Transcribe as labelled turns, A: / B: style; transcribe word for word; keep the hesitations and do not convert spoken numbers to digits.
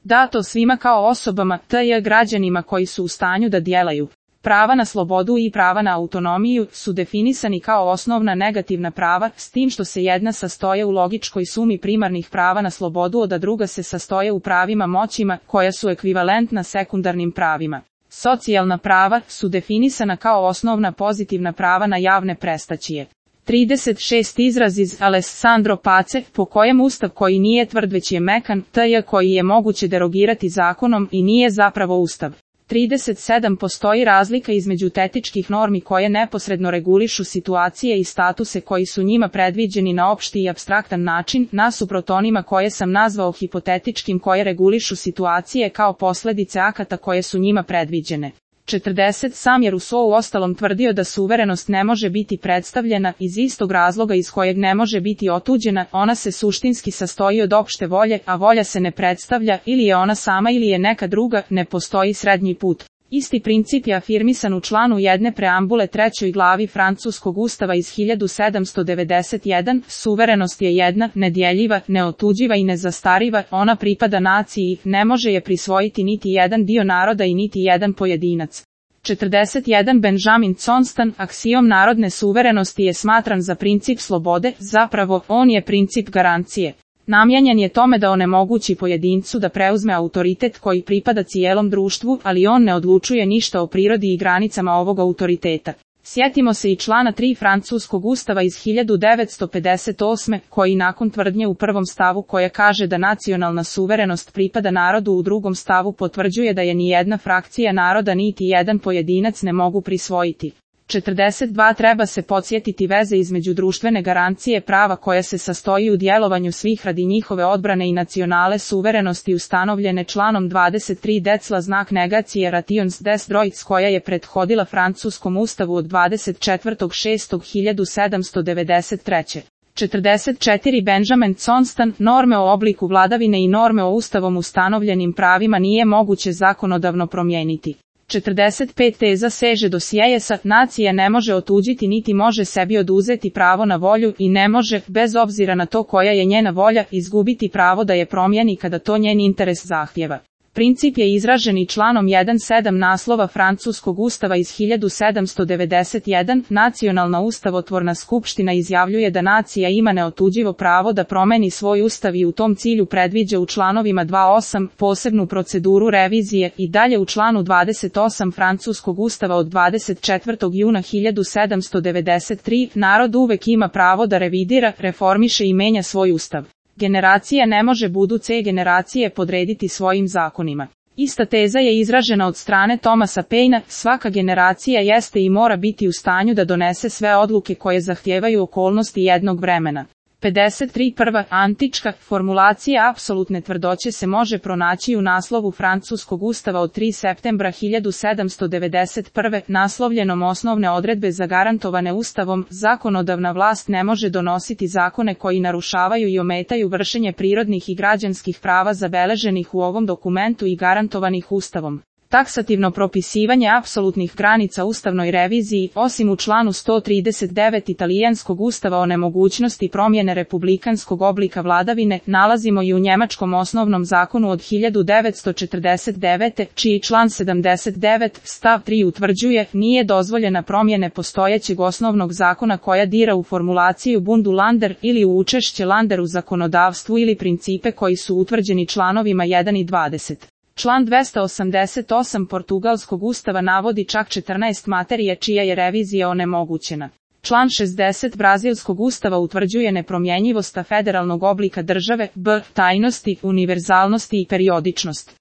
A: dato svima kao osobama, tj. građanima koji su u stanju da djelaju. Prava na slobodu i prava na autonomiju su definisani kao osnovna negativna prava, s tim što se jedna sastoje u logičkoj sumi primarnih prava na slobodu, a druga se sastoje u pravima moćima, koja su ekvivalentna sekundarnim pravima. Socijalna prava su definisana kao osnovna pozitivna prava na javne prestaćije. trideset šest Izraz iz Alessandro Pace, po kojem ustav koji nije tvrd već je mekan, tj. koji je moguće derogirati zakonom i nije zapravo ustav. trideset sedam Postoji razlika između tetičkih normi koje neposredno regulišu situacije i statuse koji su njima predviđeni na opšti i apstraktan način, nasuprot onima koje sam nazvao hipotetičkim koje regulišu situacije kao posljedice akata koje su njima predviđene. četrdeset Sam je Rousseau uostalom tvrdio da suverenost ne može biti predstavljena iz istog razloga iz kojeg ne može biti otuđena, ona se suštinski sastoji od opšte volje, a volja se ne predstavlja, ili je ona sama ili je neka druga, ne postoji srednji put. Isti princip je afirmisan u članu jedne preambule trećoj glavi francuskog ustava iz hiljadu sedamsto devedeset jedan, suverenost je jedna, nedjeljiva, neotuđiva i nezastariva, ona pripada naciji, ne može je prisvojiti niti jedan dio naroda i niti jedan pojedinac. četrdeset jedan Benjamin Constant, aksijom narodne suverenosti je smatran za princip slobode, zapravo, on je princip garancije. Namijenjen je tome da onemogući pojedincu da preuzme autoritet koji pripada cijelom društvu, ali on ne odlučuje ništa o prirodi i granicama ovog autoriteta. Sjetimo se i člana tri francuskog ustava iz hiljadu devetsto pedeset osme, koji nakon tvrdnje u prvom stavu koja kaže da nacionalna suverenost pripada narodu u drugom stavu potvrđuje da je ni jedna frakcija naroda niti jedan pojedinac ne mogu prisvojiti. četrdeset dva Treba se podsjetiti veze između društvene garancije prava koja se sastoji u djelovanju svih radi njihove odbrane i nacionale suverenosti ustanovljene članom dvadeset tri Decla znak negacije rations des droits koja je prethodila francuskom ustavu od dvadeset četvrtog šestog hiljadu sedamsto devedeset treće. četrdeset četiri Benjamin Constant, norme o obliku vladavine i norme o ustavom ustanovljenim pravima nije moguće zakonodavno promijeniti. četrdeset pet Teza seže do Sieyesa, nacija ne može otuđiti niti može sebi oduzeti pravo na volju i ne može, bez obzira na to koja je njena volja, izgubiti pravo da je promijeni kada to njen interes zahtjeva. Princip je izražen i članom jedan sedam naslova francuskog ustava iz hiljadu sedamsto devedeset jedan, nacionalna ustavotvorna skupština izjavljuje da nacija ima neotuđivo pravo da promeni svoj ustav i u tom cilju predviđa u članovima dva osam posebnu proceduru revizije i dalje u članu dvadeset osam francuskog ustava od dvadeset četvrtog juna hiljadu sedamsto devedeset tri, narod uvek ima pravo da revidira, reformiše i menja svoj ustav. Generacija ne može buduće generacije podrediti svojim zakonima. Ista teza je izražena od strane Thomasa Painea, svaka generacija jeste i mora biti u stanju da donese sve odluke koje zahtijevaju okolnosti jednog vremena. pedeset tri Prva antička formulacija apsolutne tvrdoće se može pronaći u naslovu francuskog ustava od tri septembra hiljadu sedamsto devedeset prve naslovljenom osnovne odredbe zagarantovane ustavom, zakonodavna vlast ne može donositi zakone koji narušavaju i ometaju vršenje prirodnih i građanskih prava zabeleženih u ovom dokumentu i garantovanih ustavom. Taksativno propisivanje apsolutnih granica ustavnoj reviziji, osim u članu sto trideset devet italijanskog ustava o nemogućnosti promjene republikanskog oblika vladavine, nalazimo i u njemačkom osnovnom zakonu od hiljadu devetsto četrdeset devete, čiji član sedamdeset devet stav tri utvrđuje, nije dozvoljena promjene postojećeg osnovnog zakona koja dira u formulaciju Bundulander ili u učešće Lander u zakonodavstvu ili principe koji su utvrđeni članovima jedan i dvadeset. Član dvesta osamdeset osam portugalskog ustava navodi čak četrnaest materije čija je revizija onemogućena. Član šezdeset brazilskog ustava utvrđuje nepromjenjivost federalnog oblika države, b, tajnosti, univerzalnosti i periodičnost.